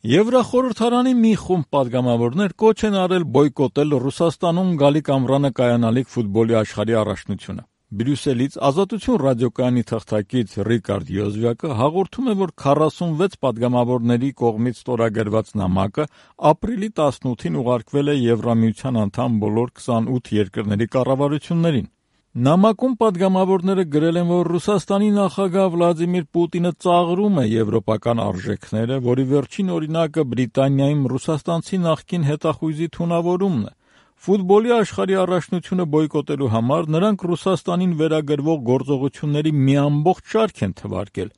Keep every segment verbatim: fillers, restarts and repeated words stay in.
Եվրախորհրդարանի մի խումբ պատգամավորներ կոչ են արել բոյկոտել Ռուսաստանում գալիք ամռանը կայանալիք ֆուտբոլի աշխարհի առաջնությունը։ Բրյուսելից Ազատություն ռադիոկայանի թղթակից Ռիկարդ Յոզվյակը հաղորդում է, որ քառասունվեց պատգամավորների կողմից ստորագրված նամակը ապրիլի տասնութին ուղարկվել է Եվրամիության անդամ բոլոր քսանութ երկրների կառավարություններին։ Նամակում պատգամավորները գրել են, որ Ռուսաստանի նախագահ Վլադիմիր Պուտինը ծաղրում է եվրոպական արժեքները, որի վերջին օրինակը Բրիտանիայում ռուսաստանցի նախկին հետախույզի թունավորումն է։ Ֆուտբոլի աշխարհի առաջնությունը բոյկոտելու համար նրանք Ռուսաստանին վերագրվող գործողությունների մի ամբողջ շարք են թվարկել։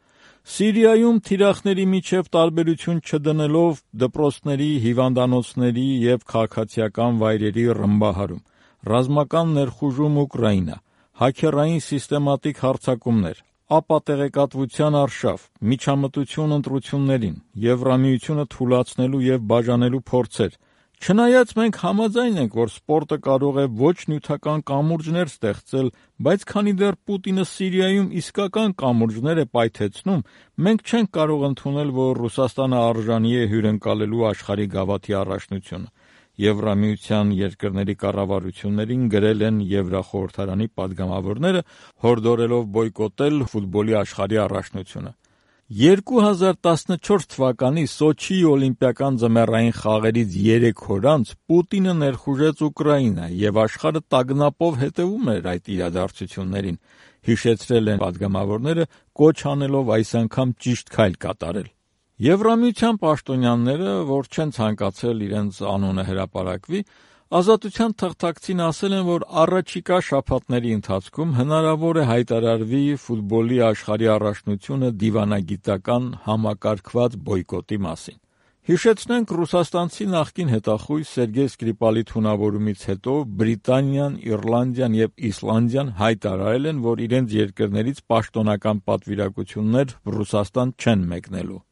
Սիրիայում թիրախների միջև տարբերություն չդնելով դպրոցների, հիվանդանոցների և քաղաքացիական վայրերի ռմբահարում, ռազմական ներխուժում Ուկրաինա, հաքերային սիստեմատիկ հարձակումներ, ապատեղեկատվության արշավ, միջամտություն ընտրություններին, Եվրամիությունը թուլացնելու և բաժանելու փորձեր։ Չնայած մենք համաձայն ենք, որ սպորտը կարող է ոչ նյութական կամուրջներ ստեղծել, բայց քանի դեռ Պուտինը Սիրիայում իսկական կամուրջներ է պայթեցնում, մենք չենք կարող ընդունել, որ Ռուսաստանը արժանի է հյուրընկալելու աշխարհի գավաթի առաջնությունը։ Եվրամիության երկրների կառավարություններին գրել են Եվրախորհրդարանի պատգամավորները, հորդորելով բոյկոտել ֆուտբոլի աշխարհի առաջնությունը։ երկու հազար տասնչորս թվականի Սոչիի օլիմպիական ձմեռային խաղերից երեք օր անց Պուտինը ներխուժեց Ուկրաինա և աշխարհը տագնապով հետևում էր այդ իրադարձություններին, հիշեցրել են պատգամավորները, կոչ անելով այս անգամ ճիշտ քայլ կատարել։ Եվրամիության պաշտոնյաները, որ չեն ցանկացել իրենց անունը հրապարակվի, Ազատության թղթակցին ասել են, որ առաջիկա շաբաթների ընթացքում հնարավոր է հայտարարվի ֆուտբոլի աշխարհի առաջնությունը դիվանագիտական համակարգված բոյկոտի մասին։ Հիշեցնենք, ռուսաստանցի նախկին հետախույզ Սերգեյ Սկրիպալի թունավորումից հետո Բրիտանիան, Իռլանդիան և Իսլանդիան հայտարարել են, որ իրենց երկրներից պաշտոնական պատվիրակություններ Ռուսաստան չեն մեկնելու։